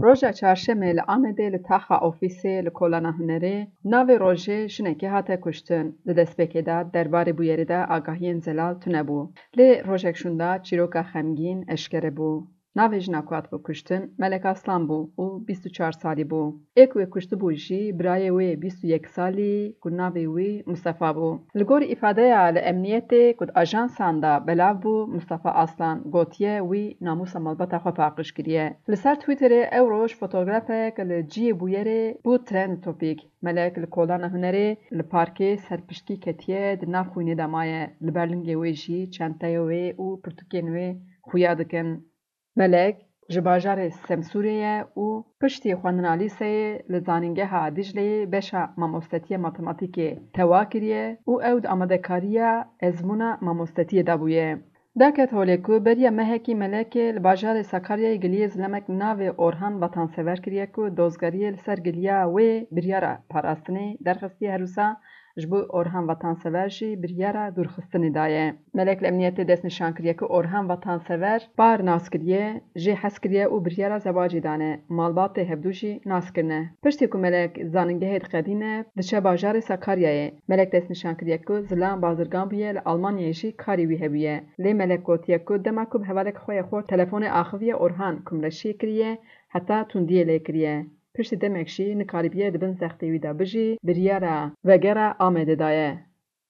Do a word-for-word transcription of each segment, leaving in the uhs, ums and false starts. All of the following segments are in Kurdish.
Roja çarşemê li Amedê li taxa ofîsê li Kolana Hunerê navê rojê jinekê hate kuştin. Di destpêkê de derbarê bûyerê de agahiyên zelal tune bû. Lê rojek şûnda çîroka xemgîn eşkere bû. Navê jina ku hatibû kuştin Melek Aslan bû û bîst û çar salî bû. Ê ku wê kuştibû jî birayê wê bîst û yek salî ku navê wî Mustafa bû. Li gorî îfadeya li emniyetê ku di ajansan de belav bû, Mustafa Aslan gotiye wî namûsa malbata xwe paqij kiriye. Li ser Twitterê ew roj fotografek li cihê bûyerê bû trend topîk. Melek li Kolana Hunerê li parkê ser piştgî ketiye, di nav xwînê de maye. Li ber lingê wê jî çenteyê wê û pirtûkên wê xuya dikin. Melek ji bajarê Semsûrê ye û piştî xwendina lîseyê li Zanîngeha Dîcleyê beşa mamostetiya matematîkê tewa kiriye û ew di amadekariya ezmûna mamostetiyê de bûye. Derket holê ku beriya mehekî Melekê li bajarê Sakaryayê giliyê zilemek navê Orhan Vatansever kiriye ku dozgeriyê li ser giliya wê biryara parastinê derxistiye, her wisa ji bo Orhan Vatansever jî biryara dûrxistinê daye. Melek li emniyetê destnîşan kiriye ku Orhan Vatansever par nas kiriye, jê hez kiriye û biryara zewacê dane. Malbatê hevdû jî nas kirine. Piştî ku Melek zanîngehê diqedîne, diçe bajarê Sakaryayê. Melek destnîşan kiriye ku zilam bazirgan bûye, li Almanyayê jî karê wî hebûye. Lê Melek gotiye ku dema ku bi hevalek xwe yê xort telefonê axiviye, Orhan kumreşiyê kiriye, heta tundiyê lê kiriye. Piştî demek jî nikarîbiye di bin zextê wî de bijî, biryara vegera Amedê daye.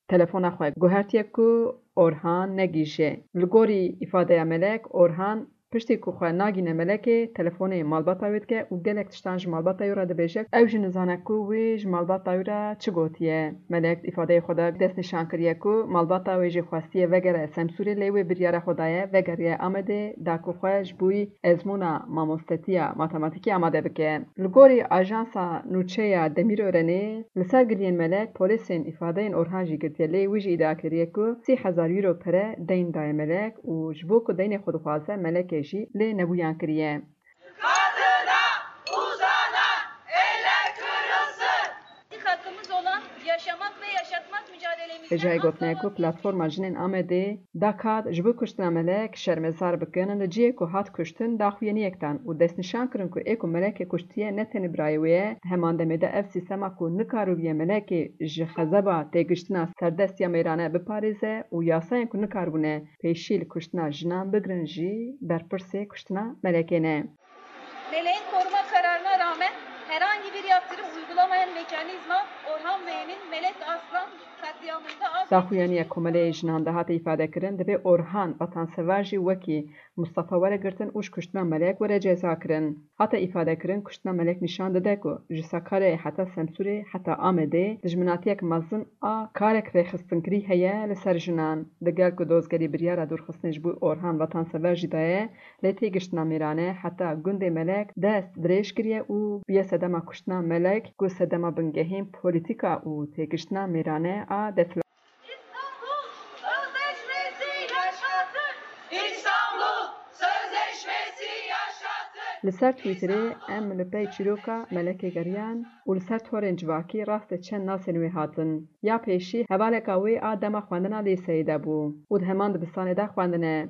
Telefona xwe guhertiye ku Orhan negihîje. Li gorî îfadeya Melek, Orhan piştî ku xwe nagîne Melekê, telefonê malbata wê dike û gelek tiştan ji malbata wî re dibêje. Ew jî nizane ku wî ji malbata wî re çi gotiye. Melek di îfadeyê xwe de destnîşan kiriye ku malbata wê jî xwestiye vegere Semsûrê, lê wê biryara xwe daye vegeriye Amedê, da ku xwe ji bo wî ezmûna mamostetiya matematîkê amade bike. Li gorî ajansa nûçe ya Demîrörenê, li ser giliyên Melek polîsên îfadeyên Orhan jî girtiye, lê wî jî îdia kiriye ku sî hezar euro pere deyn daye Melek û ji bo ku deynê xwe dixwaze, Melekê jî lê nebûyan kiriye. Kadına uzanan eller kırılsın. Hakkımız olan yaşamak ve yaşatmak mücadelemiz Hêjayê gotinê ku Platforma Jinên Amedê da kad ji bo kuştina Melek şermezar bikin, li cihê ku hat kuştin daxuyaniyek dan û destnîşan kirin ku ê ku Melekê kuştiye ne tenê birayê wê ye, di heman demê de ev sîstema ku nikaribûye Melekê ji xezeba têgiştina serdest ya mêrane biparêze û yasayên ku nikaribûne pêşî li kuştina jinan bigirin jî berpirsê kuştina Melekê ne. Meleğin koruma kararına rağmen herhangi bir yaptırım uygulamayan mekanizma Orhan Bey'in Melek Aslan katliamında az Daxuyaniya Komeleyê Jinan de hate îfade kirin, divê Orhan Vatansever jî wekî Mustafa were girtin û ji kuştina Melek were ceza kirin. Hate îfade kirin, kuştina Melek nîşan dide ku ji Sakaryayê heta Semsûrê heta Amedê dijminatiyek mezin a karek rêxistinkirî heye li ser jinan. Digel ku dozgerî biryara dûrxistinê ji bo Orhan Vatansever jî daye, lê têgiştina mêrane heta gundê Melek dest dirêj kiriye û bûye sedema kuştina Melek, ku sedema bingehîn polîtîka û têgiştina mêrane a desthilat. İstanbul Sözleşmesi yaşasın! İstanbul Sözleşmesi yaşasın! Li ser Twitterê em li pey çîroka Melekê geriyan û li ser torên civakî rastê çend nasên wê hatin. Ya pêşî hevaleka wê a dema xwendina lîseyê de bû û di heman dibistanê de xwendine.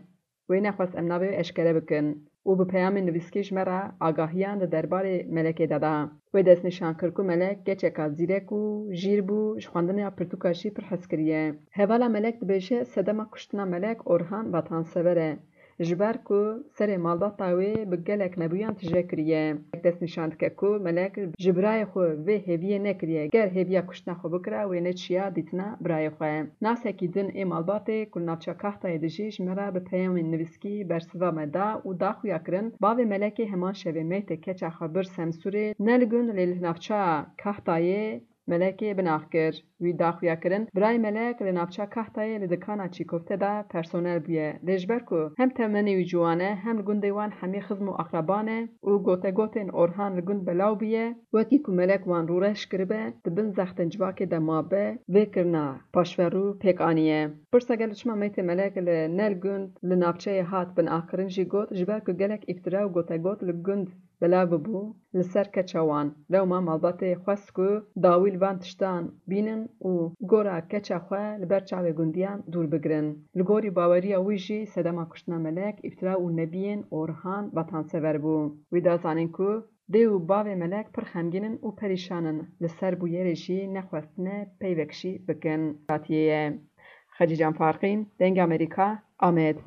Wê nexwest em navê wê eşkere bikin û bi peyamên nivîskî ji me re agahiyan di derbarê Melekê de da. Wê destnîşan kir ku Melek keçeka zîrek û jîr bû, ji xwendina pirtûka jî pir hez kiriye. Hevala Melek dibêje, sedema kuştina Melek Orhan Vatansever e, ji ber ku serê malbata wê bi gelek nebûyan tije kiriye. Destnîşan dike ku Melek ji birayê xwe vê hêviyê nekiriye. Ger hêviya kuştina xwe bikira, wê neçiya dîtina birayê xwe. Nasekî din ê malbatê ku li navça Kahtayê dijî, ji me re bi peyamên nivîskî bersiva me da û da xuya kirin, bavê Melekê heman şevê meytê keça xwe bir Semsûrê, ne li gund lê li navça Kahtayê Melekê binax kir. Wî da xuya kirin, birayê Melek li navça Kahtayê li dikana çîkofte de personel bûye. Lê ji ber ku hem temenê wî ciwan e, hem li gundê wan hemî xizm û aqraba ne û gotegotên Orhan li gund belav bûye, wekî ku Melek wan rûreş kiribe, di bin zextên civakê de mabe, vê kirina paşverû pêk aniye. Pirsa gelo çima meytê Melek li ne li gund li navçeyê hat binaxkirin jî got, ji ber ku gelek îftira û gotegot li gund belav bûbû li ser keça wan. Lewma malbatê xwest ku dawî li van tiştan bînin û gora keça xwe li ber çavê gundiyan dûr bigirin. Li gorî baweriya wî jî sedema kuştina Melek îftira û nebiyên Orhan vatansever bû. Wî da zanîn ku dê û bavê Melek pir xemgîn in û perîşan in, li ser bûyerê jî nexwestine peyvek jî bikin. Hatiye ye. Xecîcan Farqîn, Dengê Amerîka, Amed.